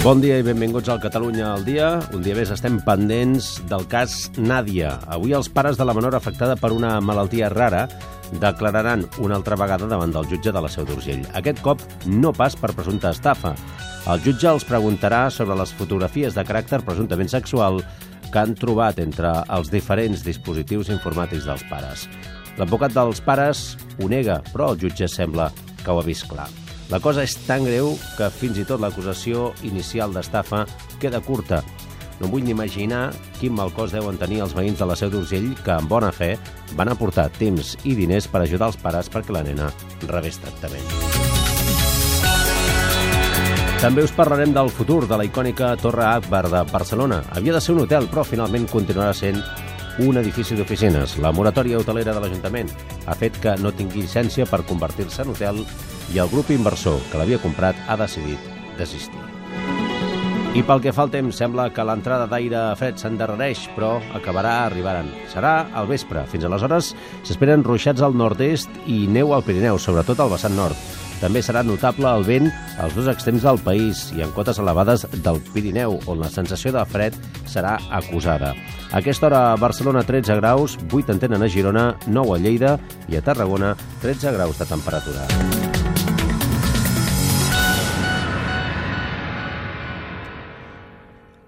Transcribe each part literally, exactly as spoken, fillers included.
Bon dia i benvinguts al Catalunya al dia. Un dia més estem pendents del cas Nàdia. Avui els pares de la menor afectada per una malaltia rara declararan una altra vegada davant del jutge de la Seu d'Urgell. Aquest cop no pas per presumpta estafa. El jutge els preguntarà sobre les fotografies de caràcter presumptament sexual que han trobat entre els diferents dispositius informàtics dels pares. L'advocat dels pares ho nega, però el jutge sembla que ho ha vist clar. La cosa és tan greu que fins i tot l'acusació inicial d'estafa queda curta. No vull ni imaginar quin mal cos deuen tenir els veïns de la Seu d'Urgell que, amb bona fe, van aportar temps i diners per ajudar els pares perquè la nena rebés tractament. També us parlarem del futur de la icònica Torre Akbar de Barcelona. Havia de ser un hotel, però finalment continuarà sent un edifici d'oficines. La moratòria hotelera de l'Ajuntament ha fet que no tingui llicència per convertir-se en hotel i el grup inversor que l'havia comprat ha decidit desistir. I pel que fa al temps, sembla que l'entrada d'aire fred s'endarrereix, però acabarà arribant. Serà al vespre. Fins aleshores s'esperen ruixats al nord-est i neu al Pirineu, sobretot al vessant nord. També serà notable el vent als dos extrems del país i en cotes elevades del Pirineu, on la sensació de fred serà acusada. A aquesta hora a Barcelona tretze graus, vuit en tenen a Girona, nou a Lleida i a Tarragona tretze graus de temperatura.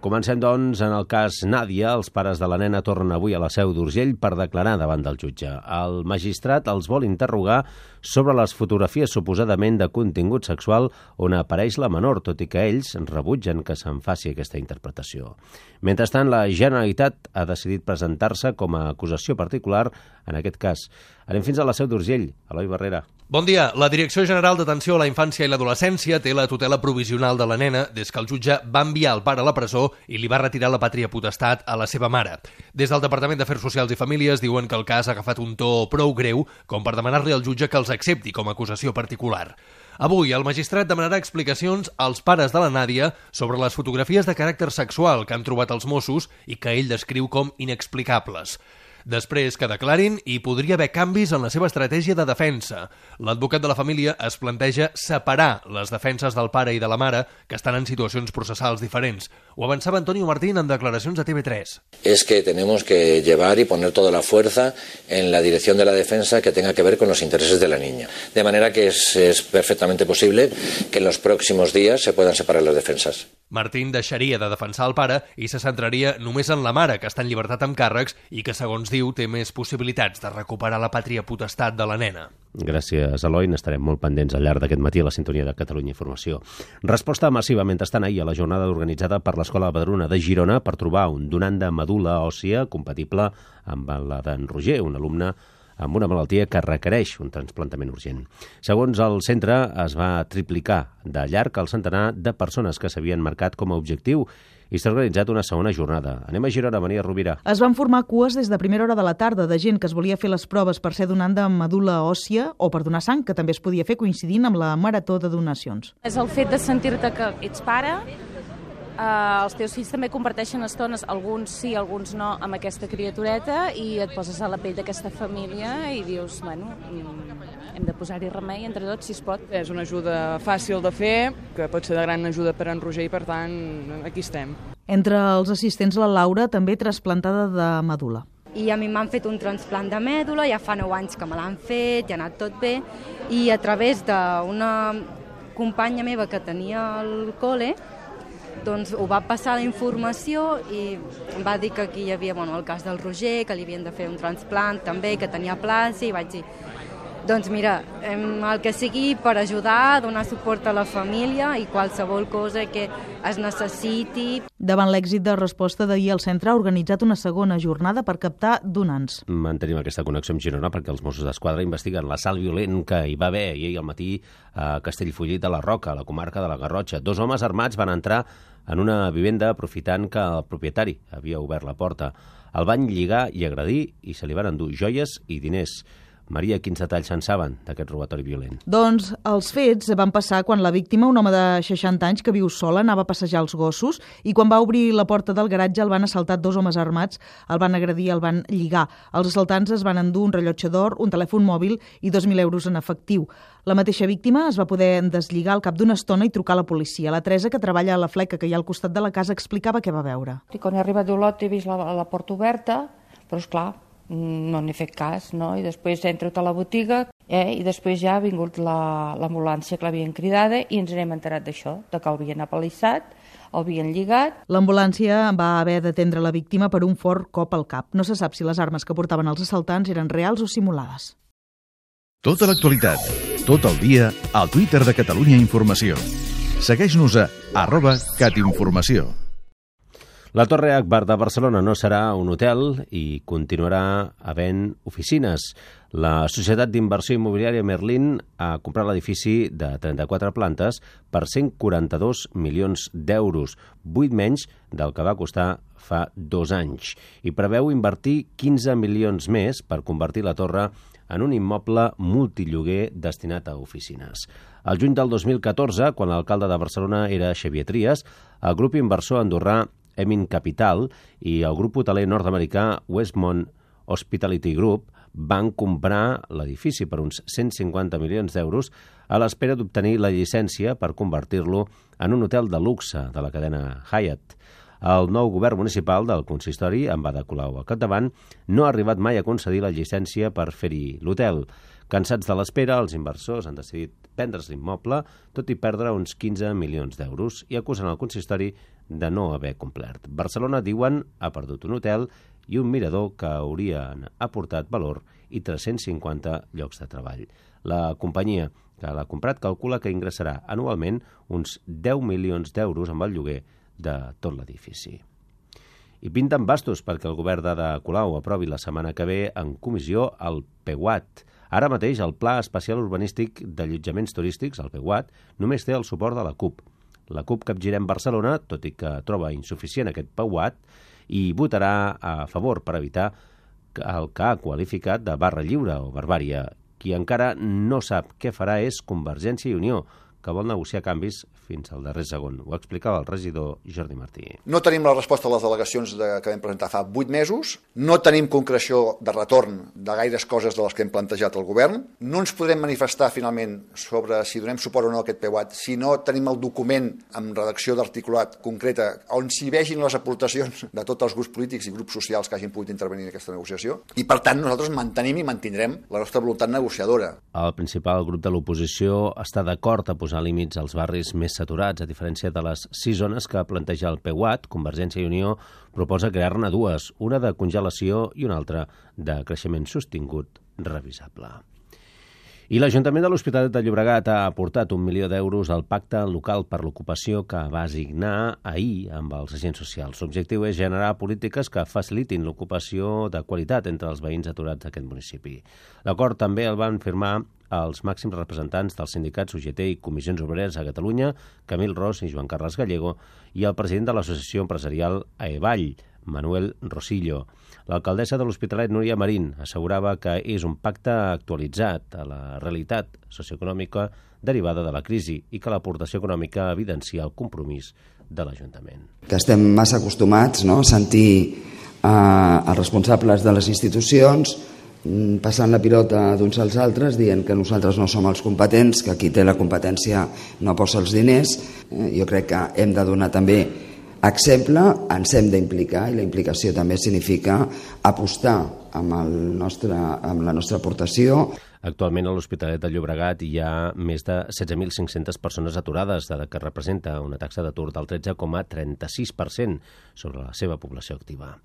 Comencem, doncs, en el cas Nàdia. Els pares de la nena tornen avui a la Seu d'Urgell per declarar davant del jutge. El magistrat els vol interrogar sobre les fotografies suposadament de contingut sexual on apareix la menor, tot i que ells rebutgen que se'n faci aquesta interpretació. Mentrestant, la Generalitat ha decidit presentar-se com a acusació particular en aquest cas. Anem fins a la Seu d'Urgell. Eloi Barrera. Bon dia. La Direcció General d'Atenció a la Infància i l'Adolescència té la tutela provisional de la nena des que el jutge va enviar el pare a la presó i li va retirar la pàtria potestat a la seva mare. Des del Departament d'Afers Socials i Famílies diuen que el cas ha agafat un to prou greu com per demanar-li al jutge que els accepti com a acusació particular. Avui, el magistrat demanarà explicacions als pares de la Nàdia sobre les fotografies de caràcter sexual que han trobat els Mossos i que ell descriu com inexplicables. Després que declarin, hi podria haver canvis en la seva estratègia de defensa. L'advocat de la família es planteja separar les defenses del pare i de la mare, que estan en situacions processals diferents. Ho avançava Antonio Martín en declaracions a T V tres. Es que tenemos que llevar y poner toda la fuerza en la dirección de la defensa que tenga que ver con los intereses de la niña. De manera que es, es perfectamente posible que en los próximos días se puedan separar las defensas. Martín deixaria de defensar el pare i se centraria només en la mare, que està en llibertat amb càrrecs i que, segons diu, té més possibilitats de recuperar la pàtria potestat de la nena. Gràcies, Eloi. N'estarem molt pendents al llarg d'aquest matí a la sintonia de Catalunya Informació. Resposta massiva mentrestant ahir a la jornada organitzada per l'Escola Badruna de Girona per trobar un donant de medul·la òssia compatible amb la d'en Roger, un alumne amb una malaltia que requereix un trasplantament urgent. Segons el centre, es va triplicar de llarg el centenar de persones que s'havien marcat com a objectiu i s'ha organitzat una segona jornada. Anem a Girona, Maria Rovira. Es van formar cues des de primera hora de la tarda de gent que es volia fer les proves per ser donant de medul·la òssia o per donar sang, que també es podia fer coincidint amb la marató de donacions. És el fet de sentir-te que ets pare. Uh, els teus fills també comparteixen estones, alguns sí, alguns no, amb aquesta criatureta i et poses a la pell d'aquesta família i dius, bueno, hem de posar-hi remei entre tots, si es pot. És una ajuda fàcil de fer, que pot ser de gran ajuda per en Roger i, per tant, aquí estem. Entre els assistents, la Laura, també trasplantada de medul·la. I a mi m'han fet un transplant de mèdula, ja fa nou anys que me l'han fet, ja ha anat tot bé, i a través d'una companya meva que tenia al col·le, doncs ho va passar la informació i em va dir que aquí hi havia bueno, el cas del Roger, que li havien de fer un transplant també, que tenia plaça, i vaig dir, doncs mira, el que sigui per ajudar, donar suport a la família i qualsevol cosa que es necessiti. Davant l'èxit de resposta d'ahir, el centre ha organitzat una segona jornada per captar donants. Mantenim aquesta connexió amb Girona perquè els Mossos d'Esquadra investiguen l'assalt violent que hi va haver ahir al matí a Castellfollit de la Roca, a la comarca de la Garrotxa. Dos homes armats van entrar en una vivenda aprofitant que el propietari havia obert la porta. El van lligar i agredir i se li van endur joies i diners. Maria, quins detalls se'n saben d'aquest robatori violent? Doncs els fets van passar quan la víctima, un home de seixanta anys que viu sola, anava a passejar els gossos i quan va obrir la porta del garatge el van assaltar dos homes armats, el van agredir, el van lligar. Els assaltants es van endur un rellotge d'or, un telèfon mòbil i dos mil euros en efectiu. La mateixa víctima es va poder deslligar al cap d'una estona i trucar a la policia. La Teresa, que treballa a la fleca que hi ha al costat de la casa, explicava què va veure. I quan he arribat a Olot he vist la, la porta oberta, però esclar, no n'he fet cas, no? I després entro a la botiga eh? I després ja ha vingut l'ambulància que l'havien cridada i ens n'hem enterat d'això, de que l'havien apalissat, l'havien lligat. L'ambulància va haver d'atendre la víctima per un fort cop al cap. No se sap si les armes que portaven els assaltants eren reals o simulades. Tota l'actualitat, tot el dia, al Twitter de Catalunya Informació. Segueix-nos a arroba catinformació. La Torre Akbar de Barcelona no serà un hotel i continuarà havent oficines. La societat d'inversió immobiliària Merlin ha comprat l'edifici de trenta-quatre plantes per cent quaranta-dos milions d'euros, vuit menys del que va costar fa dos anys, i preveu invertir quinze milions més per convertir la torre en un immoble multilloguer destinat a oficines. Al juny del dos mil catorze, quan l'alcalde de Barcelona era Xavier Trias, el grup inversor andorrà Emin Capital i el grup hoteler nord-americà Westmont Hospitality Group van comprar l'edifici per uns cent cinquanta milions d'euros a l'espera d'obtenir la llicència per convertir-lo en un hotel de luxe de la cadena Hyatt. El nou govern municipal del consistori, amb Ada Colau al capdavant, no ha arribat mai a concedir la llicència per fer-hi l'hotel. Cansats de l'espera, els inversors han decidit vendre's l'immoble, tot i perdre uns quinze milions d'euros, i acusen el consistori de no haver complert. Barcelona, diuen, ha perdut un hotel i un mirador que haurien aportat valor i tres-cents cinquanta llocs de treball. La companyia que l'ha comprat calcula que ingressarà anualment uns deu milions d'euros amb el lloguer de tot l'edifici. I pinten bastos perquè el govern d'Ada Colau aprovi la setmana que ve en comissió el P U A T. Ara mateix el Pla Especial Urbanístic d'Allotjaments Turístics, el P U A T, només té el suport de la CUP. La CUP capgirem Barcelona, tot i que troba insuficient aquest P U A T, i votarà a favor per evitar el que ha qualificat de barra lliure o barbària. Qui encara no sap què farà és Convergència i Unió, que vol negociar canvis fins al darrer segon. Ho explicava el regidor Jordi Martí. No tenim la resposta a les al·legacions de, que vam presentar fa vuit mesos, no tenim concreció de retorn de gaires coses de les que hem plantejat al govern, no ens podrem manifestar finalment sobre si donem suport o no a aquest P U A T si no tenim el document amb redacció d'articulat concreta on s'hi vegin les aportacions de tots els grups polítics i grups socials que hagin pogut intervenir en aquesta negociació. I per tant nosaltres mantenim i mantindrem la nostra voluntat negociadora. El principal grup de l'oposició està d'acord a posar límits als barris més saturats, a diferència de les sis zones que planteja el P U A T. Convergència i Unió proposa crear-ne dues, una de congelació i una altra de creixement sostingut revisable. I l'Ajuntament de l'Hospitalet de Llobregat ha aportat un milió d'euros al pacte local per l'ocupació que va signar ahir amb els agents socials. L'objectiu és generar polítiques que facilitin l'ocupació de qualitat entre els veïns aturats d'aquest municipi. L'acord també el van firmar els màxims representants dels sindicats U G T i Comissions Obreres a Catalunya, Camil Ros i Joan Carles Gallego, i el president de l'Associació Empresarial Aevall, Manuel Rosillo. L'alcaldessa de l'Hospitalet, Núria Marín, assegurava que és un pacte actualitzat a la realitat socioeconòmica derivada de la crisi i que l'aportació econòmica evidencia el compromís de l'Ajuntament. Que estem massa acostumats, no?, a sentir eh, els responsables de les institucions passant la pilota d'uns als altres, dient que nosaltres no som els competents, que qui té la competència no posa els diners. Jo crec que hem de donar també exemple, ens hem d'implicar, i la implicació també significa apostar amb, el nostre, amb la nostra aportació. Actualment a l'Hospitalet de Llobregat hi ha més de setze mil cinc-centes persones aturades, dada que representa una taxa d'atur del tretze coma trenta-sis per cent sobre la seva població activa.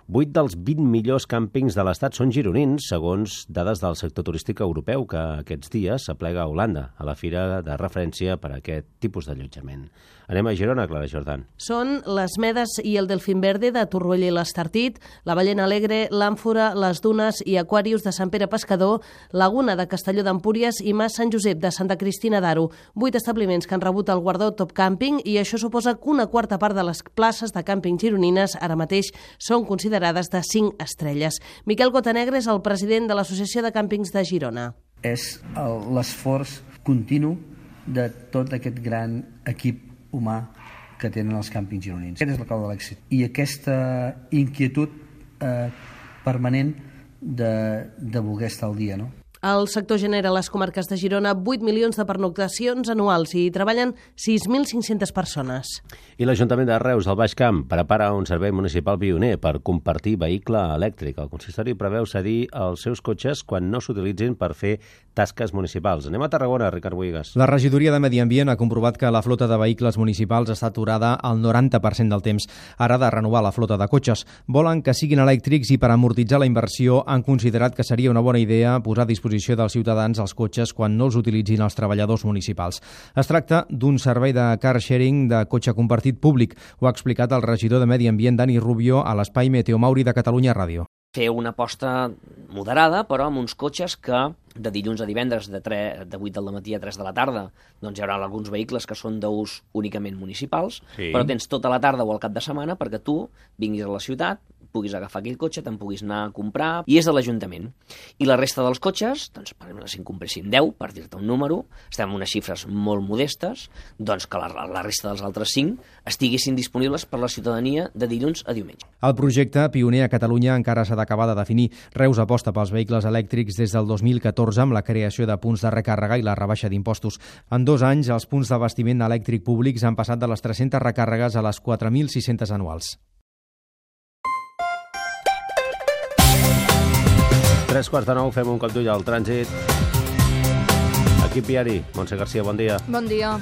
Vuit dels vint millors càmpings de l'Estat són gironins, segons dades del sector turístic europeu, que aquests dies s'aplega a Holanda, a la fira de referència per a aquest tipus d'allotjament. Anem a Girona, Clara Jordan. Són les Medes i el Delfín Verde de Torroella i l'Estartit, la Ballena Alegre, l'Àmfora, les Dunes i Aquarius de Sant Pere Pescador, Laguna de Castelló d'Empúries i Mas Sant Josep de Santa Cristina d'Aro. Vuit establiments que han rebut el guardó Top Camping i això suposa que una quarta part de les places de càmping gironines ara mateix són considerades de cinc estrelles. Miquel Cotanegre és el president de l'Associació de Càmpings de Girona. És l'esforç continu de tot aquest gran equip humà que tenen els càmpings gironins. Aquest és la clau de l'èxit. I aquesta inquietud eh, permanent de, de voler estar al dia, no? El sector genera a les comarques de Girona vuit milions de pernoctacions anuals i hi treballen sis mil cinc-centes persones. I l'Ajuntament de Reus, al Baix Camp, prepara un servei municipal pioner per compartir vehicle elèctric. El consistori preveu cedir els seus cotxes quan no s'utilitzin per fer tasques municipals. Anem a Tarragona, Ricard Boigas. La regidoria de Medi Ambient ha comprovat que la flota de vehicles municipals està aturada al noranta per cent del temps. Ara de renovar la flota de cotxes. Volen que siguin elèctrics i per amortitzar la inversió han considerat que seria una bona idea posar a disposició dels ciutadans als cotxes quan no els utilitzin els treballadors municipals. Es tracta d'un servei de car sharing de cotxe compartit públic. Ho ha explicat el regidor de Medi Ambient, Dani Rubio, a l'espai Meteo Mauri de Catalunya Ràdio. Fer una aposta moderada, però amb uns cotxes que de dilluns a divendres de, tre, de vuit del matí a tres de la tarda doncs hi haurà alguns vehicles que són d'ús únicament municipals, sí. Però tens tota la tarda o al cap de setmana perquè tu vinguis a la ciutat, puguis agafar aquell cotxe, te'n puguis anar a comprar, i és de l'Ajuntament. I la resta dels cotxes, doncs, per exemple, si en compréssim deu, per dir-te un número, estem en unes xifres molt modestes, doncs que la, la resta dels altres cinc estiguessin disponibles per la ciutadania de dilluns a diumenge. El projecte, pioner a Catalunya, encara s'ha d'acabar de definir. Reus aposta pels vehicles elèctrics des del dos mil catorze amb la creació de punts de recàrrega i la rebaixa d'impostos. En dos anys, els punts d'abastiment elèctric públics han passat de les tres-centes recàrregues a les quatre mil sis-centes anuals. Tres quarts de nou, fem un cop d'ull al trànsit. Equip viari, Montse Garcia, bon dia. Bon dia.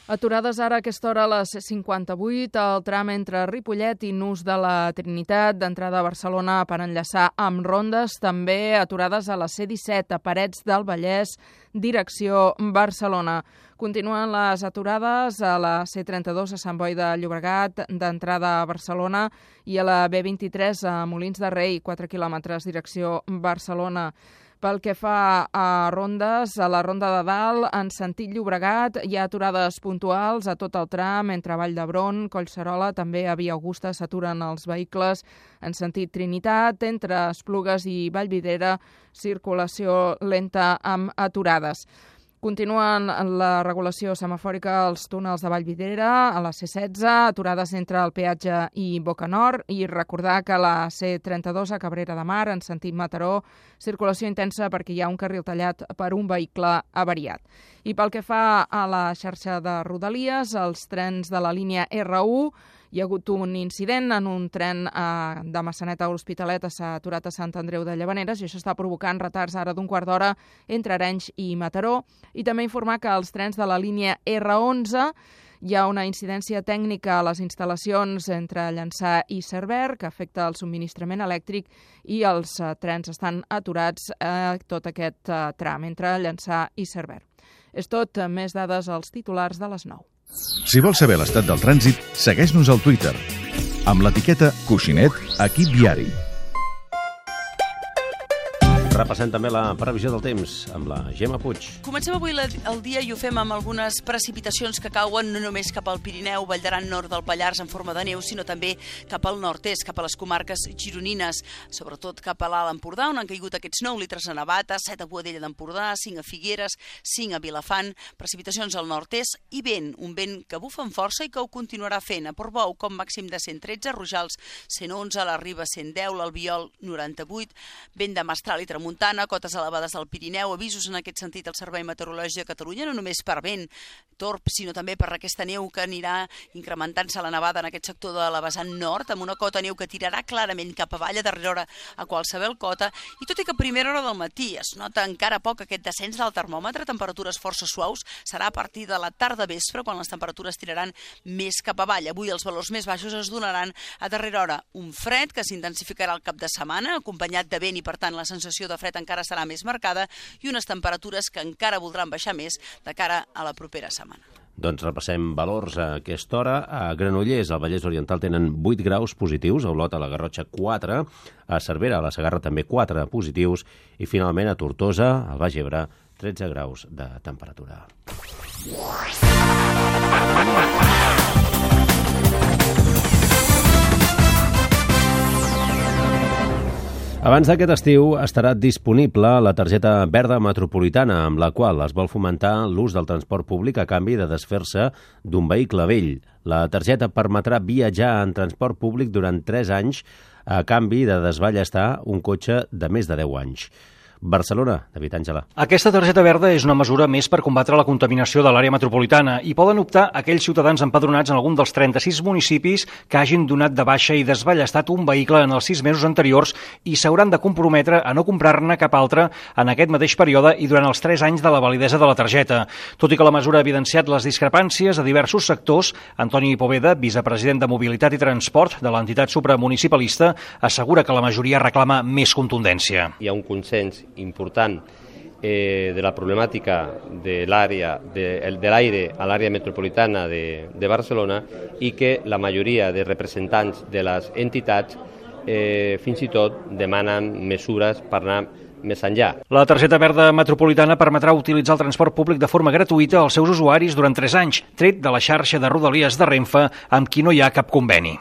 Aturades ara a aquesta hora a les cinquanta-vuit, el tram entre Ripollet i Nus de la Trinitat, d'entrada a Barcelona per enllaçar amb Rondes, també aturades a la C disset, a Parets del Vallès, direcció Barcelona. Continuen les aturades a la C trenta-dos a Sant Boi de Llobregat, d'entrada a Barcelona, i a la B vint-i-tres a Molins de Rei, quatre quilòmetres, direcció Barcelona. Pel que fa a rondes, a la Ronda de Dalt, en sentit Llobregat, hi ha aturades puntuals a tot el tram, entre Vall d'Hebron, Collserola, també a Via Augusta s'aturen els vehicles en sentit Trinitat, entre Esplugues i Vallvidrera, circulació lenta amb aturades. Continuen la regulació semafòrica als túnels de Vallvidrera, a la C setze, aturades entre el peatge i Boca Nord, i recordar que la C trenta-dos a Cabrera de Mar, en sentit Mataró, circulació intensa perquè hi ha un carril tallat per un vehicle avariat. I pel que fa a la xarxa de Rodalies, els trens de la línia R u, hi ha hagut un incident en un tren eh, de Massanet a L'Hospitalet, s'ha aturat a Sant Andreu de Llavaneres i això està provocant retards ara d'un quart d'hora entre Arenys i Mataró. I també informar que els trens de la línia R onze hi ha una incidència tècnica a les instal·lacions entre Llançà i Cerver que afecta el subministrament elèctric i els eh, trens estan aturats a eh, tot aquest eh, tram entre Llançà i Cerver. És tot, més dades als titulars de les nou. Si vols saber l'estat del trànsit, segueix-nos al Twitter amb l'etiqueta Coixinet Equip Viari. Repassem també la previsió del temps amb la Gemma Puig. Comencem avui el dia i ho fem amb algunes precipitacions que cauen no només cap al Pirineu, Vall d'Aran, nord del Pallars en forma de neu, sinó també cap al nord-est, cap a les comarques gironines, sobretot cap a l'Alt Empordà, on han caigut aquests nou litres a Navata, set a Boadella d'Empordà, cinc a Figueres, cinc a Vilafant, precipitacions al nord-est i vent, un vent que bufa amb força i que ho continuarà fent. A Portbou, com màxim de cent tretze, Rojals cent onze, la Riba cent deu, l'Albiol noranta-vuit, vent de mestral i tramuntana, Montana, cotes elevades al Pirineu, avisos en aquest sentit al Servei Meteorològic de Catalunya, no només per vent torb, sinó també per aquesta neu que anirà incrementant-se la nevada en aquest sector de la vessant nord, amb una cota neu que tirarà clarament cap avall a darrera hora a qualsevol cota, i tot i que a primera hora del matí es nota encara poc aquest descens del termòmetre, temperatures força suaus, serà a partir de la tarda vespre quan les temperatures tiraran més cap avall. Avui els valors més baixos es donaran a darrera hora. Un fred que s'intensificarà al cap de setmana, acompanyat de vent i per tant la sensació sensació de fred encara serà més marcada i unes temperatures que encara voldran baixar més de cara a la propera setmana. Doncs repassem valors a aquesta hora. A Granollers, al Vallès Oriental, tenen vuit graus positius, a Olot, a la Garrotxa, quatre, a Cervera, a la Segarra, també quatre positius, i finalment a Tortosa, al Baix Ebre, tretze graus de temperatura. Abans d'aquest estiu estarà disponible la targeta verda metropolitana, amb la qual es vol fomentar l'ús del transport públic a canvi de desfer-se d'un vehicle vell. La targeta permetrà viatjar en transport públic durant tres anys a canvi de desballestar un cotxe de més de deu anys. Barcelona, David Àngela. Aquesta targeta verda és una mesura més per combatre la contaminació de l'àrea metropolitana i poden optar aquells ciutadans empadronats en algun dels trenta-sis municipis que hagin donat de baixa i desballestat un vehicle en els sis mesos anteriors i s'hauran de comprometre a no comprar-ne cap altre en aquest mateix període i durant els tres anys de la validesa de la targeta. Tot i que la mesura ha evidenciat les discrepàncies a diversos sectors, Antoni Poveda, vicepresident de Mobilitat i Transport de l'entitat supramunicipalista, assegura que la majoria reclama més contundència. Hi ha un consens important eh, de la problemàtica de l'àrea de, de l'aire a l'àrea metropolitana de, de Barcelona i que la majoria de representants de les entitats eh, fins i tot demanen mesures per anar més enllà. La targeta verda metropolitana permetrà utilitzar el transport públic de forma gratuïta als seus usuaris durant tres anys, tret de la xarxa de rodalies de Renfe amb qui no hi ha cap conveni.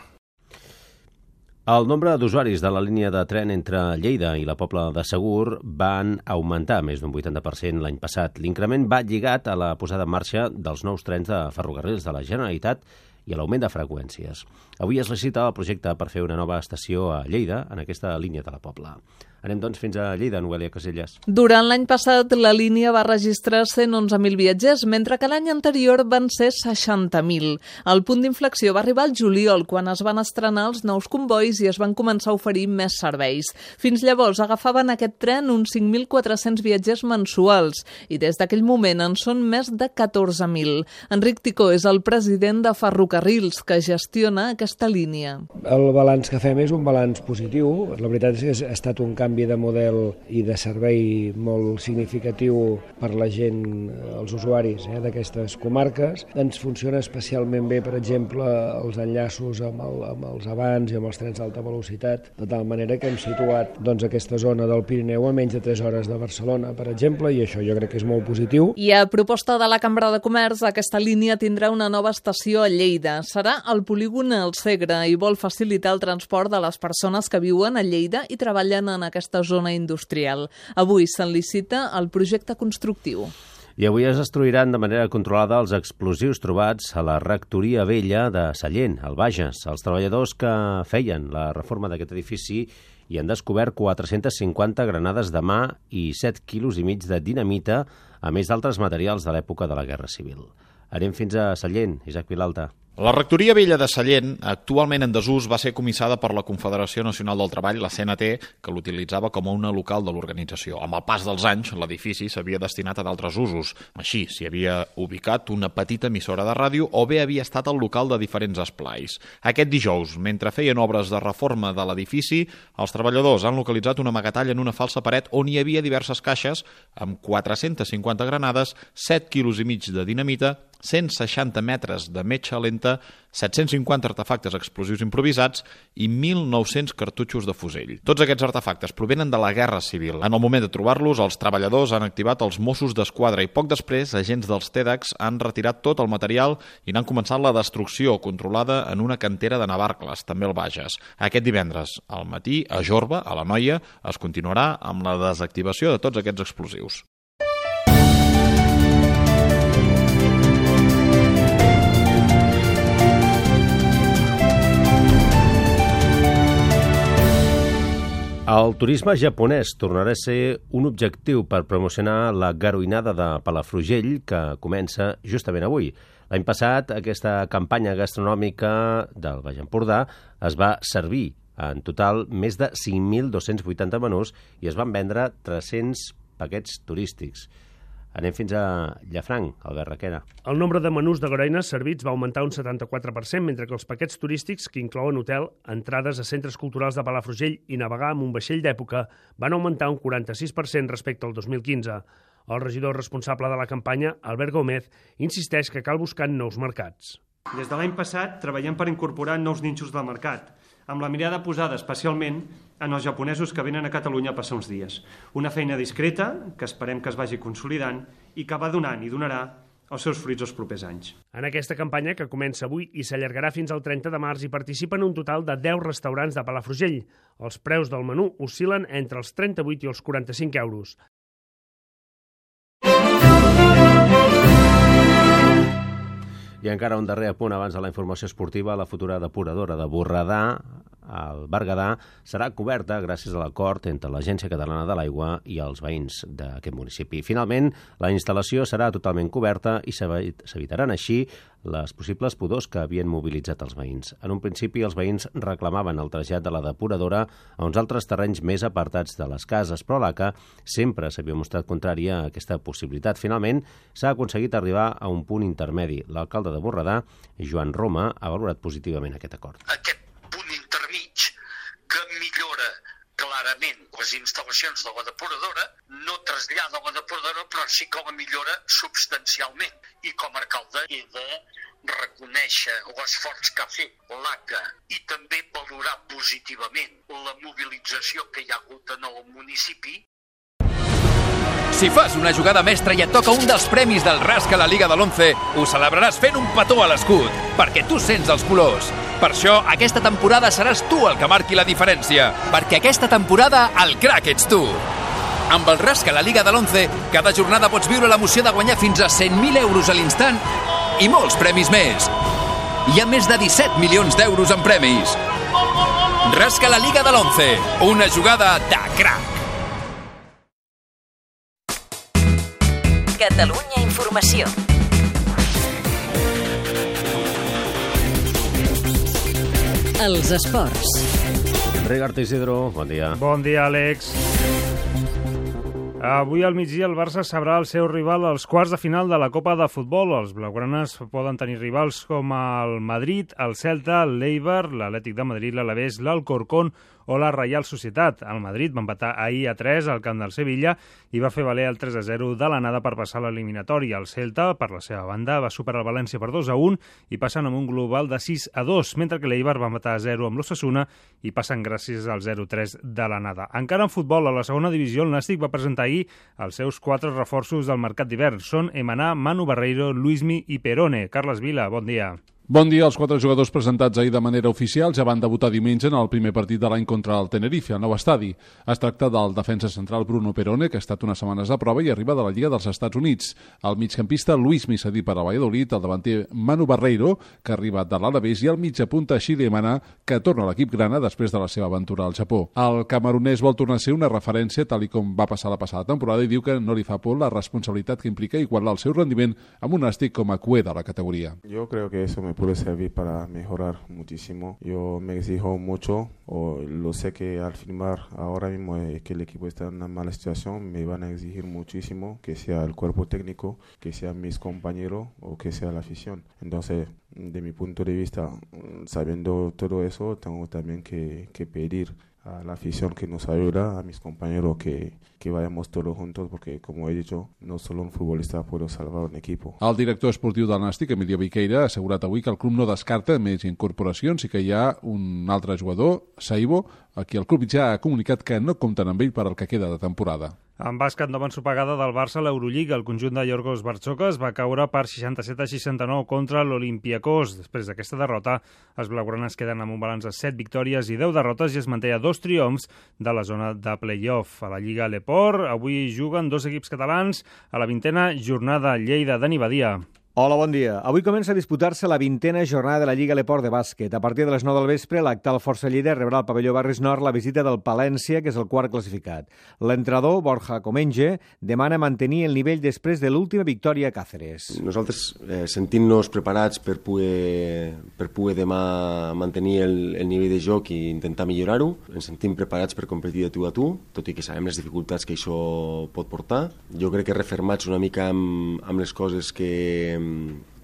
El nombre d'usuaris de la línia de tren entre Lleida i la Pobla de Segur van augmentar més d'un vuitanta per cent l'any passat. L'increment va lligat a la posada en marxa dels nous trens de ferrocarrils de la Generalitat i a l'augment de freqüències. Avui es licita el projecte per fer una nova estació a Lleida en aquesta línia de la Pobla. Anem, doncs, fins a Lleida, Noelia Casellas. Durant l'any passat, la línia va registrar cent onze mil viatgers, mentre que l'any anterior van ser seixanta mil. El punt d'inflexió va arribar al juliol, quan es van estrenar els nous convois i es van començar a oferir més serveis. Fins llavors agafaven aquest tren uns cinc mil quatre-cents viatgers mensuals i des d'aquell moment en són més de catorze mil. Enric Ticó és el president de Ferrocarrils, que gestiona aquesta línia. El balanç que fem és un balanç positiu. La veritat és que ha estat un canvi de model i de servei molt significatiu per la gent, els usuaris eh, d'aquestes comarques. Ens funciona especialment bé, per exemple, els enllaços amb, el, amb els abans i amb els trens d'alta velocitat, de tal manera que hem situat doncs, aquesta zona del Pirineu a menys de tres hores de Barcelona, per exemple, i això jo crec que és molt positiu. I a proposta de la Cambra de Comerç, aquesta línia tindrà una nova estació a Lleida. Serà al polígon El Segre i vol facilitar el transport de les persones que viuen a Lleida i treballen en aquesta zona industrial. Avui se'n licita el projecte constructiu. I avui es destruiran de manera controlada els explosius trobats a la rectoria vella de Sallent, al Bages. Els treballadors que feien la reforma d'aquest edifici hi han descobert quatre-centes cinquanta granades de mà i set quilos i mig de dinamita, a més d'altres materials de l'època de la Guerra Civil. Anem fins a Sallent, Isaac Vilalta. La rectoria vella de Sallent, actualment en desús, va ser comissada per la Confederació Nacional del Treball, la C N T, que l'utilitzava com a una local de l'organització. Amb el pas dels anys, l'edifici s'havia destinat a d'altres usos. Així, s'hi havia ubicat una petita emissora de ràdio o bé havia estat el local de diferents esplais. Aquest dijous, mentre feien obres de reforma de l'edifici, els treballadors han localitzat una amagatall en una falsa paret on hi havia diverses caixes amb quatre-centes cinquanta granades, set quilos i mig de dinamita, cent seixanta metres de metxa lenta, set-cents cinquanta artefactes explosius improvisats i mil nou-cents cartutxos de fusell. Tots aquests artefactes provenen de la Guerra Civil. En el moment de trobar-los, els treballadors han activat els Mossos d'Esquadra i poc després, agents dels TEDx han retirat tot el material i n'han començat la destrucció controlada en una cantera de Navarcles, també al Bages. Aquest divendres, al matí, a Jorba, a la Noia, es continuarà amb la desactivació de tots aquests explosius. El turisme japonès tornarà a ser un objectiu per promocionar la garoinada de Palafrugell, que comença justament avui. L'any passat, aquesta campanya gastronòmica del Baix Empordà es va servir en total més de cinc mil dos-cents vuitanta menús i es van vendre tres-cents paquets turístics. Anem fins a Llafranc, Albert Requena. El nombre de menús de goreines servits va augmentar un setanta-quatre per cent, mentre que els paquets turístics, que inclouen hotel, entrades a centres culturals de Palafrugell i navegar amb un vaixell d'època, van augmentar un quaranta-sis per cent respecte al dos mil quinze. El regidor responsable de la campanya, Albert Gómez, insisteix que cal buscar nous mercats. Des de l'any passat treballem per incorporar nous nínxols del mercat, amb la mirada posada especialment en els japonesos que venen a Catalunya a passar uns dies. Una feina discreta, que esperem que es vagi consolidant i que va donant i donarà els seus fruits els propers anys. En aquesta campanya, que comença avui i s'allargarà fins al trenta de març, hi participen un total de deu restaurants de Palafrugell. Els preus del menú oscil·len entre els trenta-vuit i els quaranta-cinc euros. I encara un darrer apunt abans de la informació esportiva. La futura depuradora de Borredà, al Berguedà, serà coberta gràcies a l'acord entre l'Agència Catalana de l'Aigua i els veïns d'aquest municipi. Finalment, la instal·lació serà totalment coberta i s'evitaran així les possibles pudors que havien mobilitzat els veïns. En un principi, els veïns reclamaven el trasllat de la depuradora a uns altres terrenys més apartats de les cases, però l'A C A sempre s'havia mostrat contrària a aquesta possibilitat. Finalment, s'ha aconseguit arribar a un punt intermedi. L'alcalde de Borredà, Joan Roma, ha valorat positivament aquest acord. Aquest punt intermig que millora clarament les instal·lacions de la depuradora, no trasllada la depuradora, però sí que la millora substancialment. I com a alcalde he de reconèixer l'esforç que ha fet l'A C A i també valorar positivament la mobilització que hi ha hagut en el municipi. Si fas una jugada mestra i et toca un dels premis del Rasca a la Liga de l'Once, ho celebraràs fent un petó a l'escut, perquè tu sents els colors. Per això, aquesta temporada seràs tu el que marqui la diferència, perquè aquesta temporada el crac ets tu. Amb el Rasca a la Liga de l'Once, cada jornada pots viure l'emoció de guanyar fins a cent mil euros a l'instant i molts premis més. Hi ha més de disset milions d'euros en premis. Rasca a la Liga de l'Once, una jugada de crac. Catalunya Informació. Els esports. Ricard Isidro, bon dia. Bon dia, Àlex. Avui al migdia el Barça sabrà el seu rival als quarts de final de la Copa de Futbol. Els blaugranes poden tenir rivals com el Madrid, el Celta, l'Eibar, l'Atlètic de Madrid, l'Alavés, l'Alcorcón o la Reial Societat. El Madrid va empatar ahir a tres al camp del Sevilla i va fer valer el tres a zero de l'anada per passar l'eliminatòria. El Celta, per la seva banda, va superar el València per dos a un i passen amb un global de sis a dos, mentre que l'Eibar va empatar a zero amb l'Osasuna i passen gràcies al zero a tres de l'anada. Encara en futbol, a la segona divisió, el Nàstic va presentar ahir els seus quatre reforços del mercat d'hivern. Són Emaná, Manu Barreiro, Luismi i Perone. Carles Vila, bon dia. Bon dia. Els quatre jugadors presentats ahir de manera oficial ja van debutar diumenge en el primer partit de l'any contra el Tenerife, al nou estadi. Es tracta del defensa central Bruno Perone, que ha estat unes setmanes a prova i arriba de la Lliga dels Estats Units. El migcampista Luismi, cedit per a Valladolid, el davanter Manu Barreiro, que ha arribat de l'Alavés, i el mitjapunta Shile Emaná, que torna a l'equip grana després de la seva aventura al Japó. El camerunès vol tornar a ser una referència, tal i com va passar la passada temporada, i diu que no li fa por la responsabilitat que implica igualar el seu rendiment amb un Nàstic com a cué de la categoría. Yo creo que eso me puede servir para mejorar muchísimo. Yo me exijo mucho, o lo sé que al firmar ahora mismo eh, que el equipo está en una mala situación, me van a exigir muchísimo, que sea el cuerpo técnico, que sean mis compañeros o que sea la afición. Entonces, de mi punto de vista, sabiendo todo eso, tengo también que, que pedir a la afición que nos ayuda, a mis compañeros que, que vayamos todos juntos, porque como he dicho, no solo un futbolista puede salvar un equipo. El director esportiu del Nàstic, Emilio Viqueira, ha assegurat avui que el club no descarta més incorporacions i que hi ha un altre jugador, Saibo, a qui el club ja ha comunicat que no compten amb ell per al que queda de temporada. En bàsquet, nova ensopegada del Barça a l'Eurolliga. El conjunt de Yorgos Bartzokas va caure per seixanta-set a seixanta-nou contra l'Olympiakos. Després d'aquesta derrota, els blaugranes queden amb un balanç de set victòries i deu derrotes i es manté a dos triomfs de la zona de play-off. A la Lliga Leport, avui juguen dos equips catalans a la vintena jornada. Lleida, Dani Badia. Hola, bon dia. Avui comença a disputar-se la vintena jornada de la Lliga Leport de bàsquet. A partir de les nou del vespre, l'actal Força Lleida rebrà al pavelló Barris Nord la visita del Palència, que és el quart classificat. L'entrenador, Borja Comenge, demana mantenir el nivell després de l'última victòria a Càceres. Nosaltres, eh, sentint-nos preparats per poder, per poder demà mantenir el, el nivell de joc i intentar millorar-ho, ens sentim preparats per competir de tu a tu, tot i que sabem les dificultats que això pot portar. Jo crec que refermats una mica amb, amb les coses que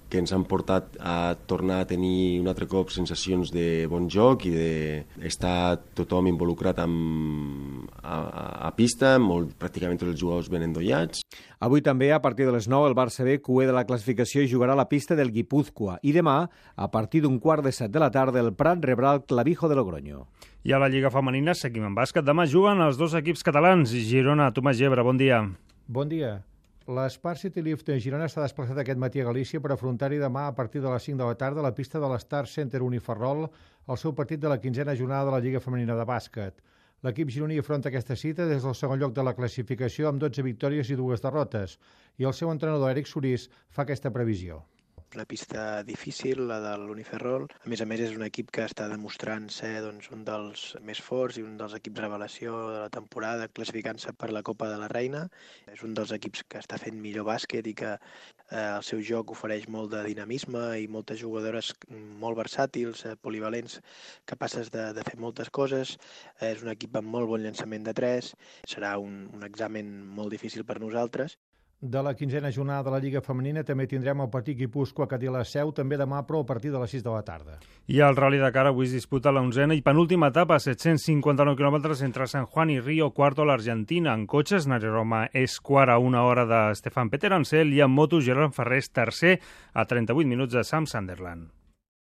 que ens han portat a tornar a tenir un altre cop sensacions de bon joc i d'estar tothom involucrat amb, a, a pista, molt, pràcticament tots els jugadors ben endollats. Avui també, a partir de les nou, el Barça B, cué de la classificació, i jugarà a la pista del Guipúzcoa. I demà, a partir d'un quart de set de la tarda, el Prat rebrà el Clavijo de Logroño. I a la Lliga Femenina seguim en bàsquet. Demà juguen els dos equips catalans. Girona, Tomàs Gebre, bon dia. Bon dia. L'Spar City Lift de Girona s'ha desplaçat aquest matí a Galícia per afrontar-hi demà a partir de les cinc de la tarda a la pista de l'Star Center Uniferrol el seu partit de la quinzena jornada de la Lliga Femenina de Bàsquet. L'equip gironí afronta aquesta cita des del segon lloc de la classificació amb dotze victòries i dues derrotes, i el seu entrenador Eric Sorís fa aquesta previsió. Una pista difícil, la de l'Uniferrol. A més a més, és un equip que està demostrant ser doncs, un dels més forts i un dels equips revelació de la temporada, classificant-se per la Copa de la Reina. És un dels equips que està fent millor bàsquet i que eh, el seu joc ofereix molt de dinamisme i moltes jugadores molt versàtils, eh, polivalents, capaces de, de fer moltes coses. Eh, és un equip amb molt bon llançament de tres. Serà un, un examen molt difícil per nosaltres. De la quinzena jornada de la Lliga Femenina també tindrem el partit Guipúzcoa que té la seu també demà, però a partir de les sis de la tarda. I el Rally Dakar avui es disputa l'onzena i penúltima etapa, set-cents cinquanta-nou quilòmetres entre San Juan i Río Cuarto, l'Argentina. En cotxes, Nairo Roma és quart a una hora de Stefan Peter Ansel i en moto Gerard Ferrés tercer a trenta-vuit minuts de Sam Sunderland.